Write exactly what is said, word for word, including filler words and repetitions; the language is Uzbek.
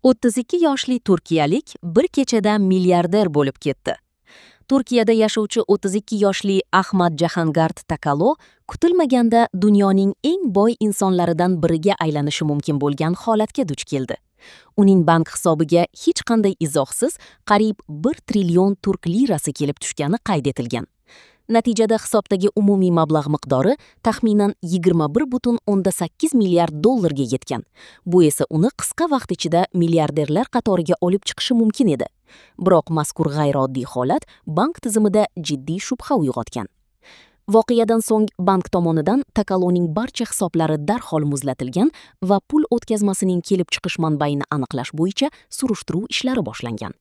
O'ttiz ikki yoshli turkiyalik bir kechada milliarder bo'lib ketdi. Turkiyada yashovchi o'ttiz ikki yoshli Ahmad Jahangard Takalo kutilmaganda dunyoning eng boy insonlaridan biriga aylanishi mumkin bo'lgan holatga duch keldi. Uning bank hisobiga hech qanday izohsiz qariyb bir trillion turk lirasi kelib tushgani qayd etilgan. Natijada hisobdagi umumiy mablag' miqdori taxminan yigirma bir butun o'ndan sakkiz milliard dollarga yetgan. Bu esa uni qisqa vaqt ichida milliarderlar qatoriga olib chiqishi mumkin edi. Biroq mazkur g'ayrioddiy holat bank tizimida jiddiy shubha uyg'otgan. Voqeadan so'ng bank tomonidan Takaloning barcha hisoblari darhol muzlatilgan va pul o'tkazmasining kelib chiqish manbaini aniqlash bo'yicha surishtiruv ishlari boshlangan.